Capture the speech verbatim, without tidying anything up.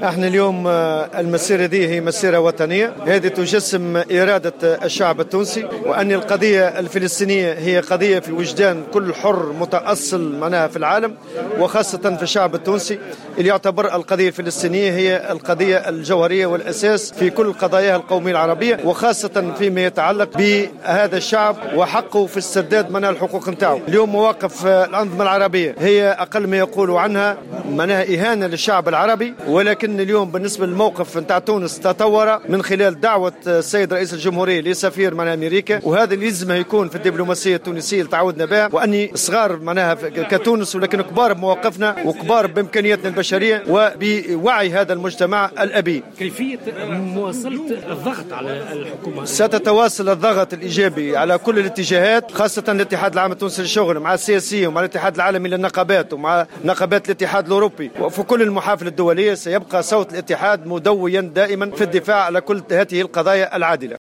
احنا اليوم المسيرة دي هي مسيرة وطنية، هذه تجسم إرادة الشعب التونسي، وأن القضية الفلسطينية هي قضية في وجدان كل حر متأصل معناها في العالم، وخاصة في الشعب التونسي اللي يعتبر القضية الفلسطينية هي القضية الجوهرية والأساس في كل قضاياها القومية العربية، وخاصة فيما يتعلق بهذا الشعب وحقه في استرداد معناها الحقوق نتاعو. اليوم مواقف الأنظمة العربية هي أقل ما يقولوا عنها معناها إهانة للشعب العربي، ولكن اليوم بالنسبة للموقف نتاع تونس تطور من خلال دعوة السيد رئيس الجمهورية لسفير معناها أمريكا، وهذا اللي لازم يكون في الدبلوماسية التونسية اللي تعودنا بها، وأني صغار معناها كتونس ولكن كبار بمواقفنا وكبار بإمكانياتنا البشرية وبوعي هذا المجتمع الأبي. كيفية مواصلة الضغط على الحكومة؟ ستتواصل الضغط الإيجابي على كل الاتجاهات، خاصة الاتحاد العام التونسي للشغل مع السياسيين ومع الاتحاد العالمي للنقابات ومع نقابات الاتحاد الأوروبي، وفي كل المحافل الدولية سيبقى صوت الاتحاد مدويا دائما في الدفاع على كل هذه القضايا العادلة.